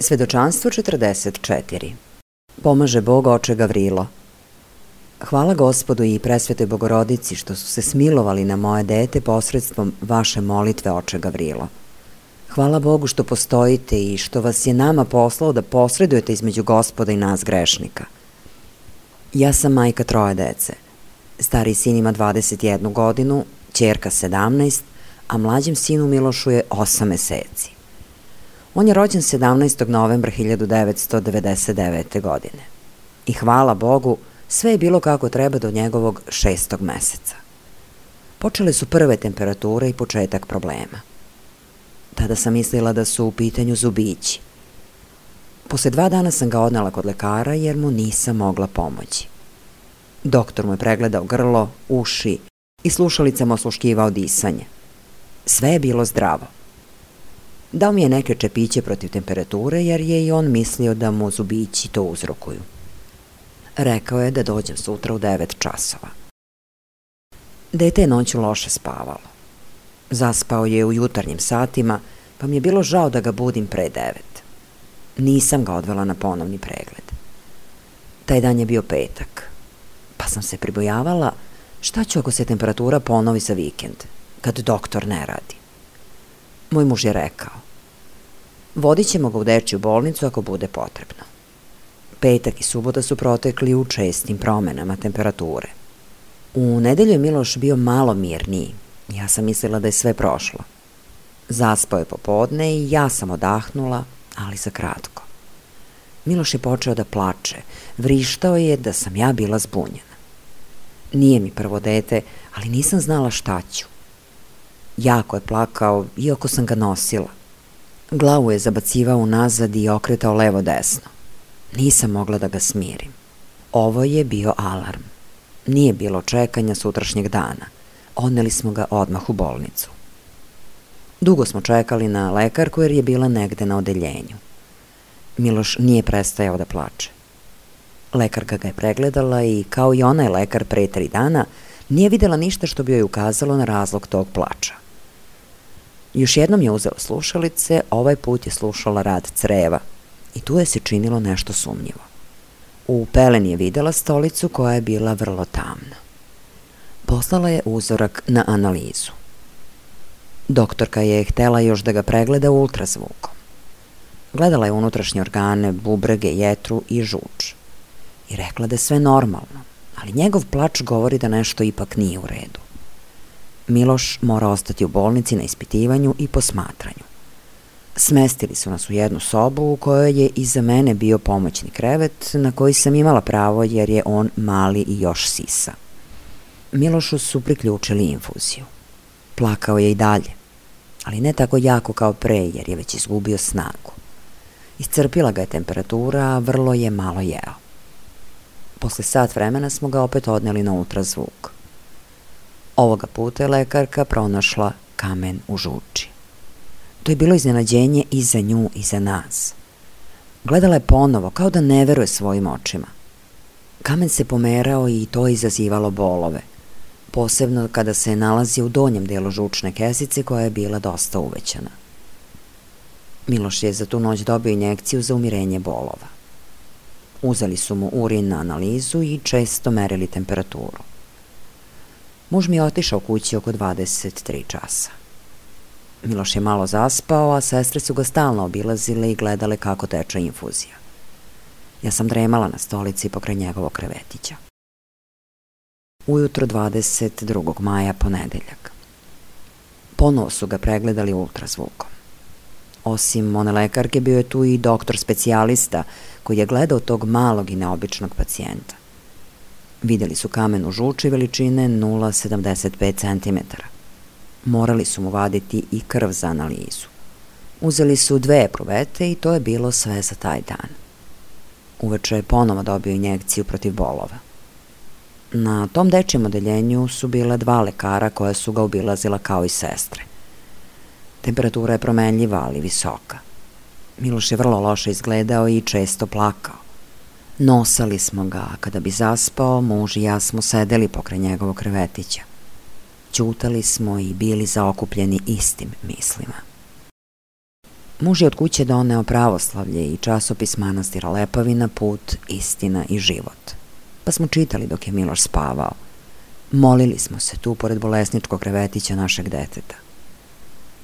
Svedočanstvo 44. Pomaže Bog oče Gavrilo. Hvala Gospodu i presvetoj Bogorodici što su se smilovali na moje dete posredstvom vaše molitve oče Gavrilo. Hvala Bogu što postojite i što vas je nama poslao da posredujete između Gospoda i nas grešnika. Ja sam majka 3 dece. Stariji sin ima 21 godinu, ćerka 17, a mlađem sinu Milošu je 8 meseci. On je rođen 17. novembra 1999. godine. I hvala Bogu, sve je bilo kako treba do njegovog 6. meseca. Počele su prve temperature i početak problema. Tada sam mislila da su u pitanju zubići. Posle 2 dana sam ga odnela kod lekara jer mu nisam mogla pomoći. Doktor mu je pregledao grlo, uši i slušalicama osluškivao disanje. Sve je bilo zdravo. Dao mi je neke čepiće protiv temperature jer je i on mislio da mu zubići to uzrokuju. Rekao je da dođem sutra u 9 časova. Dete je noću loše spavalo. Zaspao je u jutarnjim satima, pa mi je bilo žao da ga budim pre 9. Nisam ga odvela na ponovni pregled. Taj dan je bio petak, pa sam se pribojavala šta ću ako se temperatura ponovi za vikend, kad doktor ne radi. Moj muž je rekao, vodit ćemo ga u dečju bolnicu ako bude potrebno. Petak i subota su protekli u čestim promenama temperature. U nedelju je Miloš bio malo mirniji. Ja sam mislila da je sve prošlo. Zaspao je popodne i ja sam odahnula, ali za kratko. Miloš je počeo da plače, vrištao je da sam ja bila zbunjena. Nije mi prvo dete, ali nisam znala šta ću. Jako je plakao, iako sam ga nosila. Glavu je zabacivao unazad i okretao levo-desno. Nisam mogla da ga smirim. Ovo je bio alarm. Nije bilo čekanja sutrašnjeg dana. Odneli smo ga odmah u bolnicu. Dugo smo čekali na lekarku jer je bila negde na odeljenju. Miloš nije prestajao da plače. Lekarka ga je pregledala i, kao i onaj lekar pre 3 dana, nije videla ništa što bi joj ukazalo na razlog tog plača. Još jednom je uzela slušalice, ovaj put je slušala rad creva i tu je se činilo nešto sumnjivo. U peleni je videla stolicu koja je bila vrlo tamna. Poslala je uzorak na analizu. Doktorka je htela još da ga pregleda ultrazvukom. Gledala je unutrašnje organe, bubrege, jetru i žuč. I rekla da je sve normalno, ali njegov plač govori da nešto ipak nije u redu. Miloš mora ostati u bolnici na ispitivanju i posmatranju. Smestili su nas u jednu sobu u kojoj je iza mene bio pomoćni krevet na koji sam imala pravo jer je on mali i još sisa. Milošu su priključili infuziju. Plakao je i dalje, ali ne tako jako kao pre jer je već izgubio snagu. Iscrpila ga je temperatura, a vrlo je malo jeo. Posle sat vremena smo ga opet odneli na ultrazvuk. Ovoga puta je lekarka pronašla kamen u žuči. To je bilo iznenađenje i za nju i za nas. Gledala je ponovo, kao da ne veruje svojim očima. Kamen se pomerao i to je izazivalo bolove, posebno kada se nalazi u donjem delu žučne kesice koja je bila dosta uvećana. Miloš je za tu noć dobio injekciju za umirenje bolova. Uzeli su mu urin na analizu i često merili temperaturu. Muž mi je otišao kući oko 23 časa. Miloš je malo zaspao, a sestre su ga stalno obilazile i gledale kako teče infuzija. Ja sam dremala na stolici pokraj njegovog krevetića. Ujutro 22. maja, ponedeljak. Ponovo su ga pregledali ultrazvukom. Osim one lekarke, bio je tu i doktor specijalista koji je gledao tog malog i neobičnog pacijenta. Videli su kamen u žuči veličine 0,75 cm. Morali su mu vaditi i krv za analizu. Uzeli su 2 epruvete i to je bilo sve za taj dan. Uveče je ponovo dobio injekciju protiv bolova. Na tom dečijem odeljenju su bile 2 lekara koja su ga obilazila kao i sestre. Temperatura je promenljiva, ali visoka. Miloš je vrlo loše izgledao i često plakao. Nosali smo ga, a kada bi zaspao, muž i ja smo sedeli pokraj njegovog krevetića. Ćutali smo i bili zaokupljeni istim mislima. Muž je od kuće doneo Pravoslavlje i časopis manastira Lepavina, Put, istina i život. Pa smo čitali dok je Miloš spavao. Molili smo se tu pored bolesničkog krevetića našeg deteta.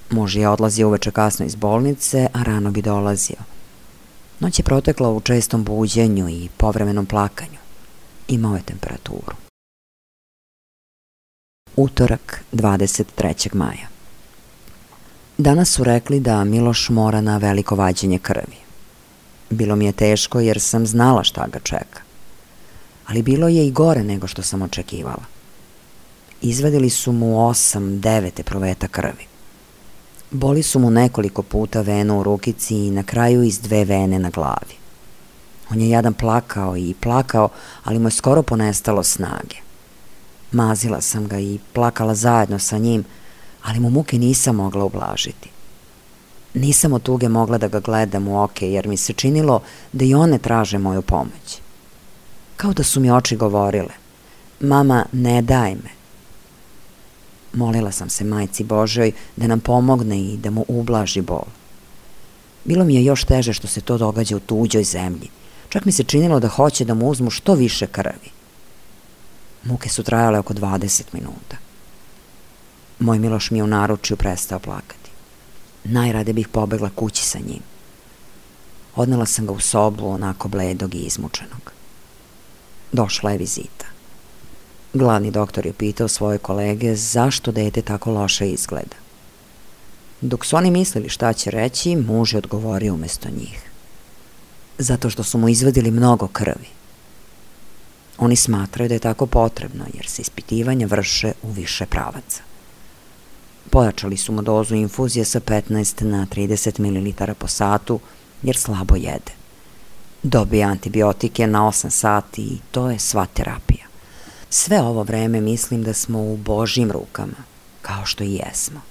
Muž je odlazio uveče kasno iz bolnice, a rano bi dolazio. Noć je protekla u čestom buđenju i povremenom plakanju. Imao je temperaturu. Utorak, 23. maja. Danas su rekli da Miloš mora na veliko vađenje krvi. Bilo mi je teško jer sam znala šta ga čeka. Ali bilo je i gore nego što sam očekivala. Izvadili su mu 8-9 epruveta krvi. Boli su mu nekoliko puta venu u rukici i na kraju iz 2 vene na glavi. On je jadan plakao i plakao, ali mu je skoro ponestalo snage. Mazila sam ga i plakala zajedno sa njim, ali mu muke nisam mogla ublažiti. Nisam od tuge mogla da ga gledam u oke, jer mi se činilo da i one traže moju pomoć. Kao da su mi oči govorile: mama, ne daj me. Molila sam se Majci Božjoj da nam pomogne i da mu ublaži bol. Bilo mi je još teže što se to događa u tuđoj zemlji. Čak mi se činilo da hoće da mu uzmu što više krvi. Muke su trajale oko 20 minuta. Moj Miloš mi je u naručju prestao plakati. Najrade bih pobegla kući sa njim. Odnela sam ga u sobu, onako bledog i izmučenog. Došla je vizita. Glavni doktor je pitao svoje kolege zašto dete tako loše izgleda. Dok su oni mislili šta će reći, muž je odgovorio umesto njih. Zato što su mu izvadili mnogo krvi. Oni smatraju da je tako potrebno, jer se ispitivanja vrše u više pravaca. Pojačali su mu dozu infuzije sa 15 na 30 ml po satu, jer slabo jede. Dobije antibiotike na 8 sati i to je sva terapija. Sve ovo vreme mislim da smo u Božjim rukama, kao što i jesmo.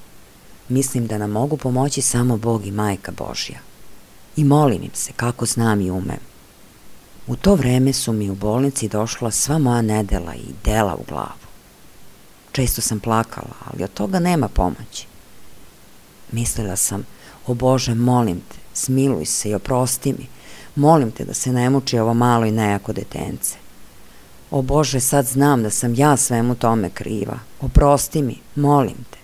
Mislim da nam mogu pomoći samo Bog i Majka Božja. I molim im se kako znam i umem. U to vreme su mi u bolnici došla sva moja nedela i dela u glavu. Često sam plakala, ali od toga nema pomoći. Mislila sam, o Bože, molim te, smiluj se i oprosti mi. Molim te da se ne muči ovo malo i nejako detence. O Bože, sad znam da sam ja svemu tome kriva. Oprosti mi, molim te.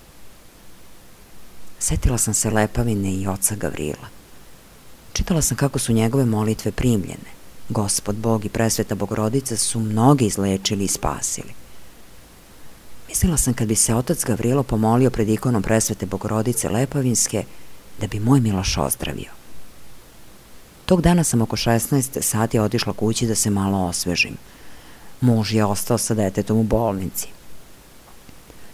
Setila sam se Lepavine i oca Gavrila. Čitala sam kako su njegove molitve primljene. Gospod Bog i presveta Bogorodica su mnogi izlečili i spasili. Mislila sam kad bi se otac Gavrilo pomolio pred ikonom presvete Bogorodice Lepavinske, da bi moj Miloš ozdravio. Tog dana sam oko 16 sati otišla kući da se malo osvežim. Muž je ostao sa detetom u bolnici.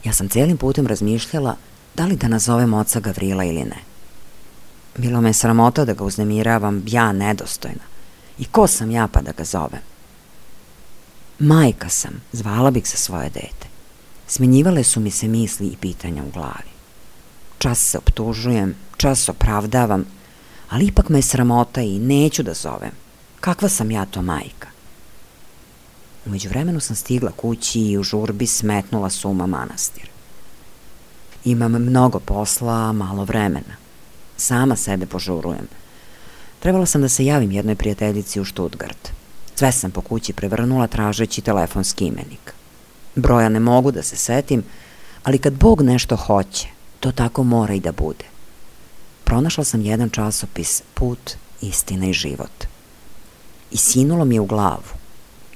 Ja sam celim putem razmišljala da li da nazovem oca Gavrila ili ne. Bilo me sramota da ga uznemiravam, ja nedostojna. I ko sam ja pa da ga zovem? Majka sam, zvala bih se svoje dete. Smenjivale su mi se misli i pitanja u glavi. Čas se optužujem, čas opravdavam, ali ipak me je sramota i neću da zovem. Kakva sam ja to majka? U međuvremenu sam stigla kući i u žurbi smetnula suma manastir. Imam mnogo posla, malo vremena. Sama sebe požurujem. Trebala sam da se javim jednoj prijateljici u Štutgart. Sve sam po kući prevrnula tražeći telefonski imenik. Broja ne mogu da se setim, ali kad Bog nešto hoće, to tako mora i da bude. Pronašla sam jedan časopis Put, istina i život. I sinulo mi je u glavu.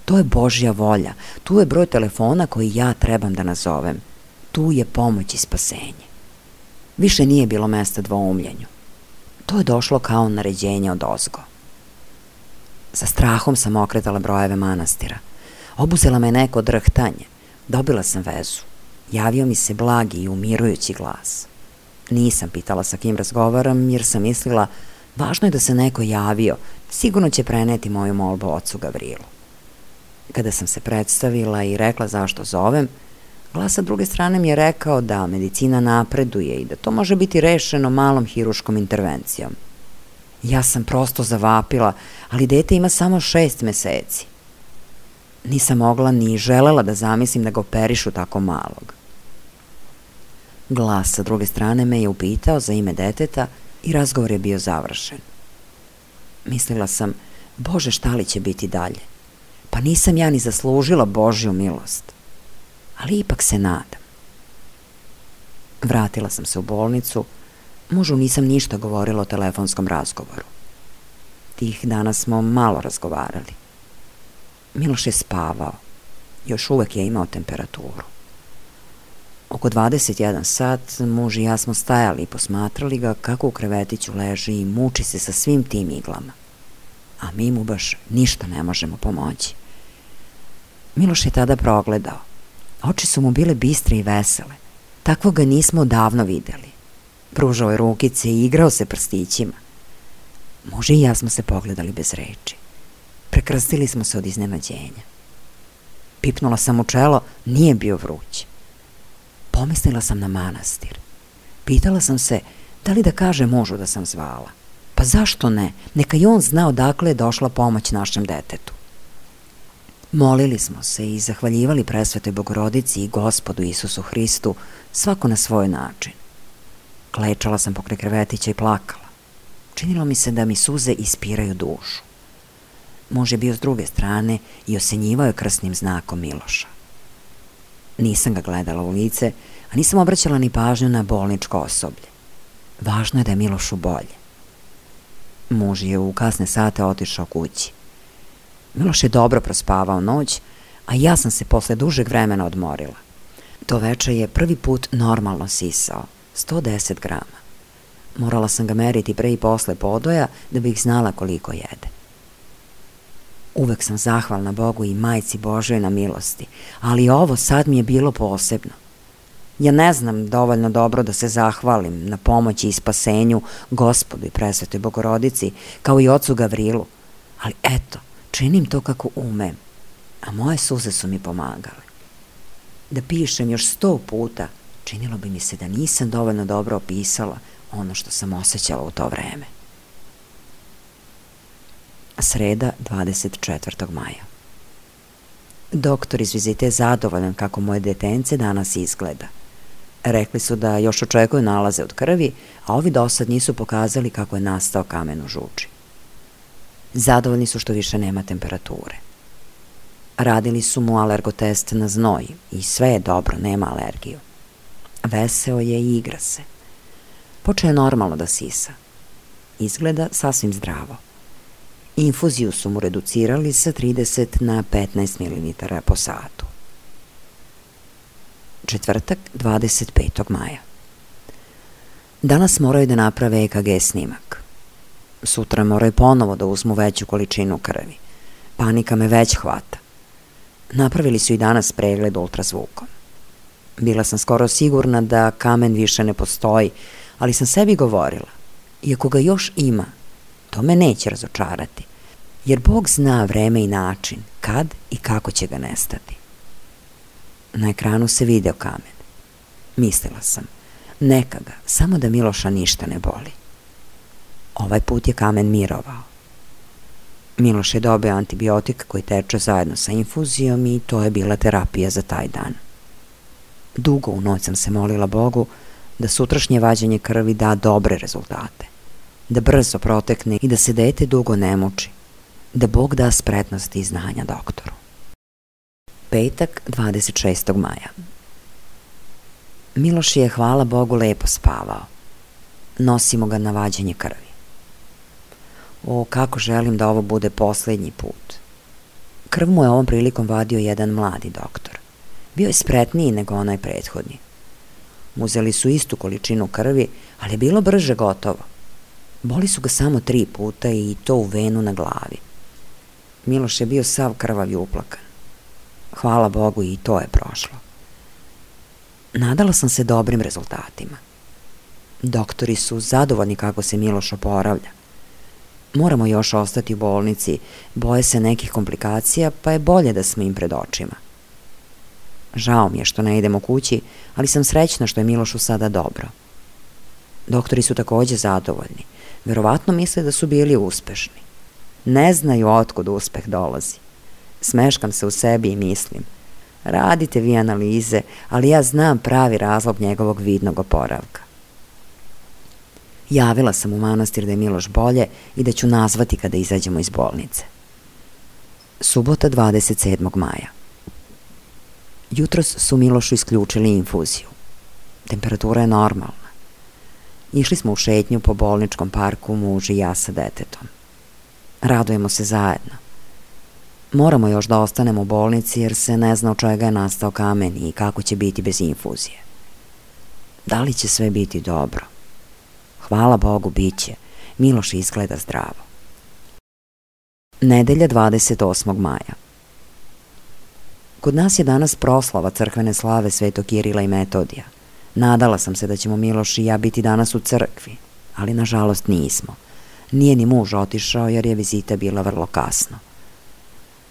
To je Božja volja, tu je broj telefona koji ja trebam da nazovem. Tu je pomoć i spasenje. Više nije bilo mesta dvoumljenju. To je došlo kao naređenje od ozgo. Sa strahom sam okretala brojeve manastira. Obuzela me neko drhtanje. Dobila sam vezu. Javio mi se blagi i umirujući glas. Nisam pitala sa kim razgovaram, jer sam mislila, važno je da se neko javio, sigurno će preneti moju molbu ocu Gavrilu. Kada sam se predstavila i rekla zašto zovem, glas sa druge strane mi je rekao da medicina napreduje i da to može biti rešeno malom hiruškom intervencijom. Ja sam prosto zavapila, ali dete ima samo 6 meseci. Nisam mogla ni želela da zamislim da ga operišu tako malog. Glas sa druge strane me je upitao za ime deteta i razgovor je bio završen. Mislila sam, Bože, šta li će biti dalje? Pa nisam ja ni zaslužila Božju milost. Ali ipak se nadam. Vratila sam se u bolnicu. Mužu nisam ništa govorila o telefonskom razgovoru. Tih dana smo malo razgovarali. Miloš je spavao. Još uvek je imao temperaturu. Oko 21 sat muž i ja smo stajali i posmatrali ga kako u krevetiću leži i muči se sa svim tim iglama. A mi mu baš ništa ne možemo pomoći. Miloš je tada progledao. Oči su mu bile bistre i vesele. Takvog ga nismo davno videli. Pružao je rukice i igrao se prstićima. Muž i ja smo se pogledali bez reči. Prekrstili smo se od iznenađenja. Pipnula sam u čelo, nije bio vruć. Pomislila sam na manastir. Pitala sam se da li da kaže mužu da sam zvala. Pa zašto ne? Neka i on zna odakle je došla pomoć našem detetu. Molili smo se i zahvaljivali presvetoj Bogorodici i Gospodu Isusu Hristu, svako na svoj način. Klečala sam pokraj krevetića i plakala. Činilo mi se da mi suze ispiraju dušu. Muž je bio s druge strane i osenjivao je krsnim znakom Miloša. Nisam ga gledala u lice, a nisam obraćala ni pažnju na bolničko osoblje. Važno je da je Milošu bolje. Muž je u kasne sate otišao kući. Miloš je dobro prospavao noć, a ja sam se posle dužeg vremena odmorila. To veče je prvi put normalno sisao, 110 grama. Morala sam ga meriti pre i posle podoja da bih znala koliko jede. Uvek sam zahvalna Bogu i Majci Božoj na milosti, ali ovo sad mi je bilo posebno. Ja ne znam dovoljno dobro da se zahvalim na pomoći i spasenju Gospodu i Presvetoj Bogorodici, kao i ocu Gavrilu, ali eto, činim to kako umem, a moje suze su mi pomagale. Da pišem još 100 puta, činilo bi mi se da nisam dovoljno dobro opisala ono što sam osjećala u to vreme. Sreda, 24. maja. Doktor iz vizite je zadovoljan kako moje detence danas izgleda. Rekli su da još očekuju nalaze od krvi, a ovi dosad nisu pokazali kako je nastao kamen u žuči. Zadovoljni su što više nema temperature. Radili su mu alergotest na znoj i sve je dobro, nema alergiju. Veseo je i igra se. Počeo je normalno da sisa. Izgleda sasvim zdravo. Infuziju su mu reducirali sa 30 na 15 ml po satu. Četvrtak, 25. maja. Danas moraju da naprave EKG snimak. Sutra moraju ponovo da uzmu veću količinu krvi. Panika me već hvata. Napravili su i danas pregled ultrazvukom. Bila sam skoro sigurna da kamen više ne postoji, ali sam sebi govorila, iako ga još ima, to me neće razočarati, jer Bog zna vreme i način kad i kako će ga nestati. Na ekranu se video kamen. Mislila sam, neka ga, samo da Miloša ništa ne boli. Ovaj put je kamen mirovao. Miloš je dobio antibiotik koji teče zajedno sa infuzijom i to je bila terapija za taj dan. Dugo u noć sam se molila Bogu da sutrašnje vađenje krvi da dobre rezultate, da brzo protekne i da se dete dugo ne muči, da Bog da spretnosti i znanja doktoru. Petak, 26. maja. Miloš je, hvala Bogu, lepo spavao. Nosimo ga na vađenje krvi. O, kako želim da ovo bude poslednji put. Krv mu je ovom prilikom vadio jedan mladi doktor. Bio je spretniji nego onaj prethodni. Uzeli su istu količinu krvi, ali je bilo brže gotovo. Boli su ga samo 3 puta i to u venu na glavi. Miloš je bio sav krvav i uplakan. Hvala Bogu i to je prošlo. Nadala sam se dobrim rezultatima. Doktori su zadovoljni kako se Miloš oporavlja. Moramo još ostati u bolnici, boje se nekih komplikacija, pa je bolje da smo im pred očima. Žao mi je što ne idemo kući, ali sam srećna što je Milošu sada dobro. Doktori su takođe zadovoljni. Verovatno misle da su bili uspešni. Ne znaju otkud uspeh dolazi. Smeškam se u sebi i mislim, radite vi analize, ali ja znam pravi razlog njegovog vidnog oporavka. Javila sam u manastir da je Miloš bolje i da ću nazvati kada izađemo iz bolnice. Subota, 27. maja. Jutros su Milošu isključili infuziju. Temperatura je normalna. Išli smo u šetnju po bolničkom parku, muž i ja sa detetom. Radujemo se zajedno. Moramo još da ostanemo u bolnici jer se ne zna od čega je nastao kamen i kako će biti bez infuzije. Da li će sve biti dobro? Hvala Bogu, bit će. Miloš izgleda zdravo. Nedelja, 28. maja. Kod nas je danas proslava crkvene slave Svetog Kirila i Metodija. Nadala sam se da ćemo Miloš i ja biti danas u crkvi, ali nažalost nismo. Nije ni muž otišao jer je vizita bila vrlo kasno.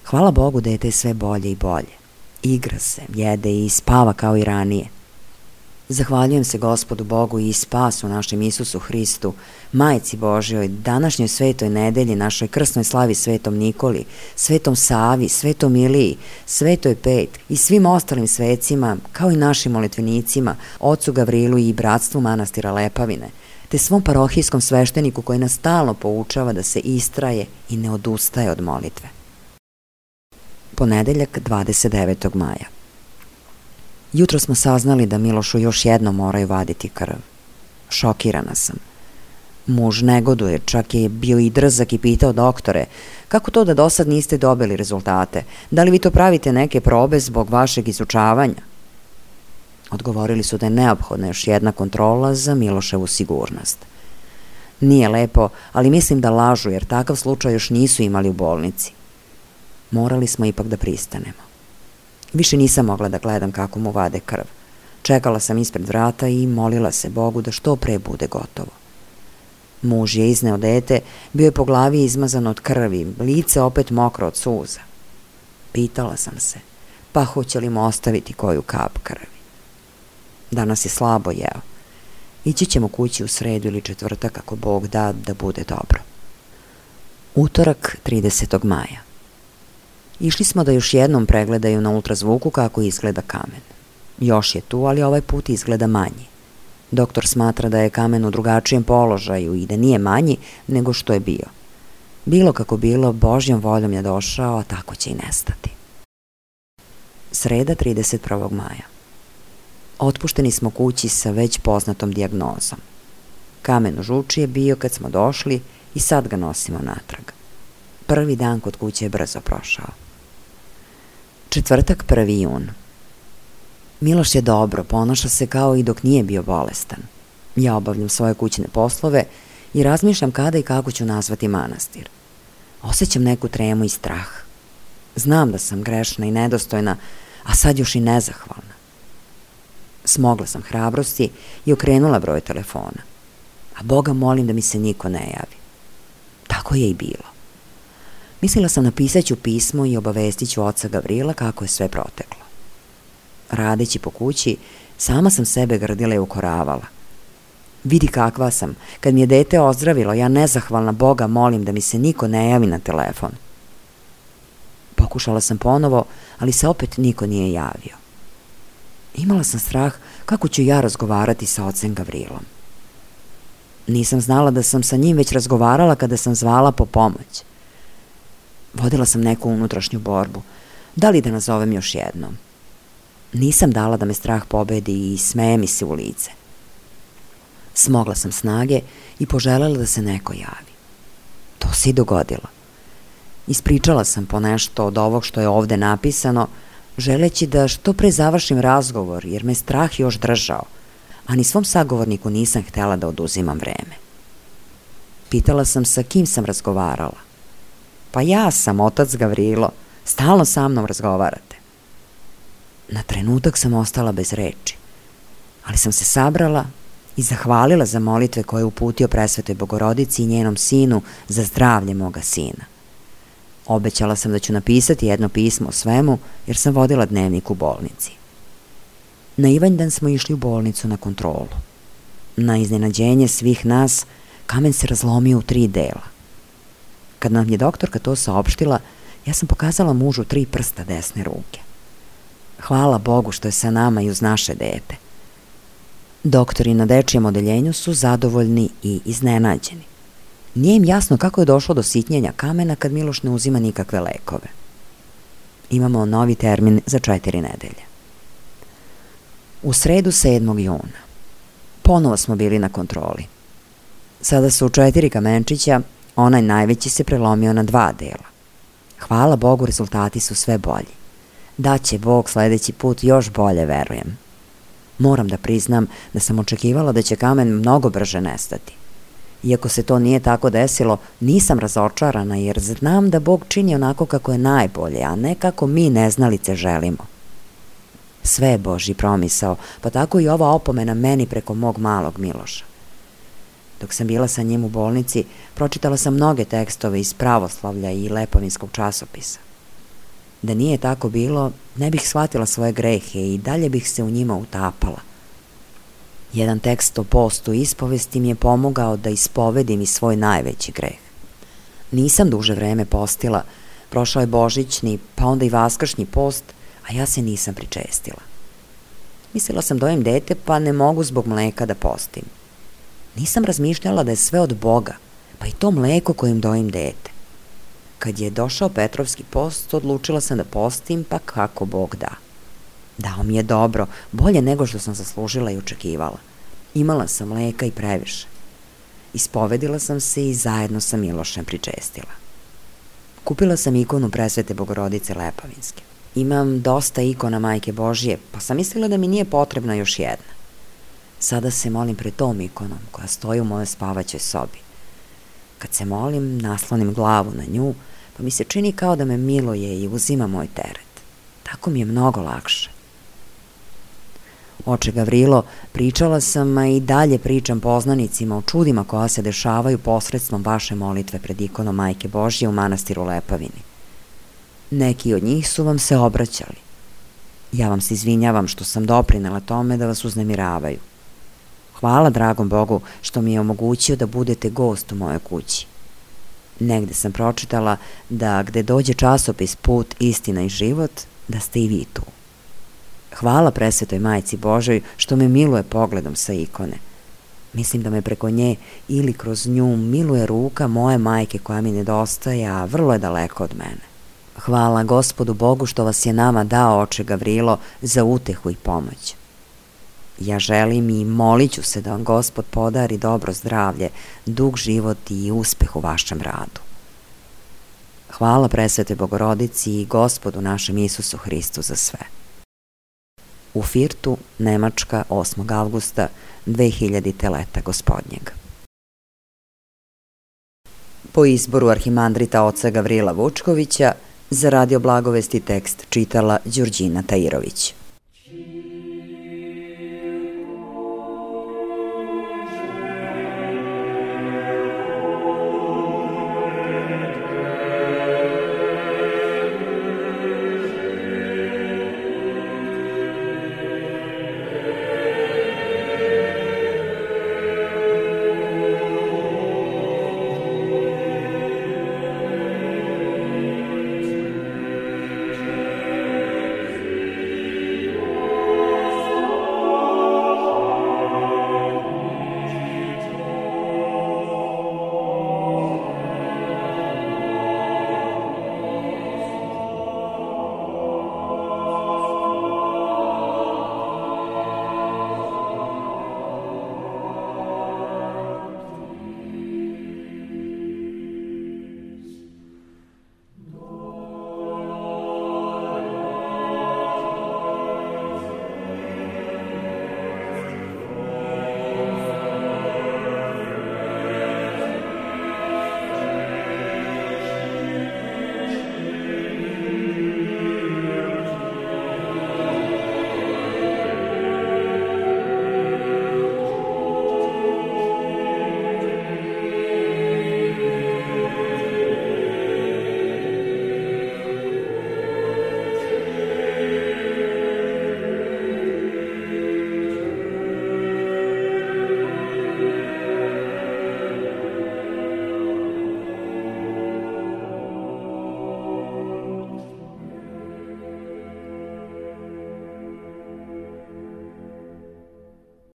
Hvala Bogu, dete je sve bolje i bolje. Igra se, jede i spava kao i ranije. Zahvaljujem se Gospodu Bogu i spasu našem Isusu Hristu, Majci Božjoj, današnjoj svetoj nedelji, našoj krsnoj slavi Svetom Nikoli, Svetom Savi, Svetom Iliji, Svetoj Pet i svim ostalim svecima, kao i našim molitvenicima, ocu Gavrilu i bratstvu manastira Lepavine, te svom parohijskom svešteniku koji nas stalno poučava da se istraje i ne odustaje od molitve. Ponedeljak, 29. maja. Jutro smo saznali da Milošu još jednom moraju vaditi krv. Šokirana sam. Muž negoduje, čak je bio i drzak i pitao doktore, kako to da do sad niste dobili rezultate? Da li vi to pravite neke probe zbog vašeg izučavanja? Odgovorili su da je neophodna još jedna kontrola za Miloševu sigurnost. Nije lepo, ali mislim da lažu, jer takav slučaj još nisu imali u bolnici. Morali smo ipak da pristanemo. Više nisam mogla da gledam kako mu vade krv. Čekala sam ispred vrata i molila se Bogu da što pre bude gotovo. Muž je izneo dete, bio je po glavi izmazan od krvi, lice opet mokro od suza. Pitala sam se, pa hoće li mu ostaviti koju kap krvi. Danas je slabo jeo. Ići ćemo kući u sredu ili četvrtak ako Bog da bude dobro. Utorak, 30. maja. Išli smo da još jednom pregledaju na ultrazvuku kako izgleda kamen. Još je tu, ali ovaj put izgleda manji. Doktor smatra da je kamen u drugačijem položaju i da nije manji nego što je bio. Bilo kako bilo, Božjom voljom je došao, a tako će i nestati. Sreda, 31. maja. Otpušteni smo kući sa već poznatom dijagnozom. Kamen u žuči je bio kad smo došli i sad ga nosimo natrag. Prvi dan kod kuće je brzo prošao. Četvrtak, 1. jun. Miloš je dobro, ponaša se kao i dok nije bio bolestan. Ja obavljam svoje kućne poslove i razmišljam kada i kako ću nazvati manastir. Osjećam neku tremu i strah. Znam da sam grešna i nedostojna, a sad još i nezahvalna. Smogla sam hrabrosti i okrenula broj telefona. A Boga molim da mi se niko ne javi. Tako je i bilo. Mislila sam napisat ću pismo i obavestit ću oca Gavrila kako je sve proteklo. Radeći po kući, sama sam sebe grdila i ukoravala. Vidi kakva sam, kad mi je dete ozdravilo, ja nezahvalna Boga molim da mi se niko ne javi na telefon. Pokušala sam ponovo, ali se opet niko nije javio. Imala sam strah kako ću ja razgovarati sa ocem Gavrilom. Nisam znala da sam sa njim već razgovarala kada sam zvala po pomoć. Vodila sam neku unutrašnju borbu. Da li da nazovem još jednom? Nisam dala da me strah pobedi i smeje mi se u lice. Smogla sam snage i poželjela da se neko javi. To se i dogodilo. Ispričala sam po nešto od ovog što je ovde napisano, želeći da što pre završim razgovor, jer me strah još držao, a ni svom sagovorniku nisam htela da oduzimam vreme. Pitala sam sa kim sam razgovarala. Pa ja sam, otac Gavrilo, stalno sa mnom razgovarate. Na trenutak sam ostala bez reči, ali sam se sabrala i zahvalila za molitve koje je uputio Presvetoj Bogorodici i njenom sinu za zdravlje moga sina. Obećala sam da ću napisati jedno pismo o svemu, jer sam vodila dnevnik u bolnici. Na Ivanjdan smo išli u bolnicu na kontrolu. Na iznenađenje svih nas, kamen se razlomio u 3 dela. Kad nam je doktorka to saopštila, ja sam pokazala mužu 3 prsta desne ruke. Hvala Bogu što je sa nama i uz naše dete. Doktori na dečijem odeljenju su zadovoljni i iznenađeni. Nije im jasno kako je došlo do sitnjenja kamena kad Miloš ne uzima nikakve lekove. Imamo novi termin za 4 nedelje. U sredu 7. juna. Ponovo smo bili na kontroli. Sada su 4 kamenčića, onaj najveći se prelomio na 2 dela. Hvala Bogu, rezultati su sve bolji. Daće Bog sledeći put još bolje, verujem. Moram da priznam da sam očekivala da će kamen mnogo brže nestati. Iako se to nije tako desilo, nisam razočarana jer znam da Bog čini onako kako je najbolje, a ne kako mi neznalice želimo. Sve je Božji promisao, pa tako i ova opomena meni preko mog malog Miloša. Dok sam bila sa njim u bolnici, pročitala sam mnoge tekstove iz pravoslavlja i lepovinskog časopisa. Da nije tako bilo, ne bih shvatila svoje grehe i dalje bih se u njima utapala. Jedan tekst o postu i ispovesti mi je pomogao da ispovedim i svoj najveći greh. Nisam duže vreme postila, prošao je božićni, pa onda i vaskršnji post, a ja se nisam pričestila. Mislila sam dojim dete, pa ne mogu zbog mleka da postim. Nisam razmišljala da je sve od Boga, pa i to mleko kojim dojim dete. Kad je došao Petrovski post, odlučila sam da postim, pa kako Bog da. Dao mi je dobro, bolje nego što sam zaslužila i očekivala. Imala sam mleka i previše. Ispovedila sam se i zajedno sa Milošem pričestila. Kupila sam ikonu Presvete Bogorodice Lepovinske. Imam dosta ikona Majke Božije, pa sam mislila da mi nije potrebna još jedna. Sada se molim pred tom ikonom koja stoji u mojoj spavaćoj sobi. Kad se molim, naslonim glavu na nju, pa mi se čini kao da me miluje i uzima moj teret. Tako mi je mnogo lakše. Oče Gavrilo, pričala sam, a i dalje pričam poznanicima o čudima koja se dešavaju posredstvom vaše molitve pred ikonom Majke Božje u manastiru Lepavini. Neki od njih su vam se obraćali. Ja vam se izvinjavam što sam doprinela tome da vas uznemiravaju. Hvala dragom Bogu što mi je omogućio da budete gost u mojoj kući. Negde sam pročitala da gde dođe časopis Put, istina i život, da ste i vi tu. Hvala presvetoj Majci Božoj što me miluje pogledom sa ikone. Mislim da me preko nje ili kroz nju miluje ruka moje majke koja mi nedostaje, a vrlo je daleko od mene. Hvala Gospodu Bogu što vas je nama dao, oče Gavrilo, za utehu i pomoć. Ja želim i molit ću se da vam Gospod podari dobro zdravlje, dug život i uspeh u vašem radu. Hvala presvetoj Bogorodici i Gospodu našem Isusu Hristu za sve. U Firtu, Nemačka, 8. avgusta 2000. leta gospodnjeg. Po izboru arhimandrita oca Gavrila Vučkovića, za Radio Blagovesti tekst čitala Đurđina Tajirović.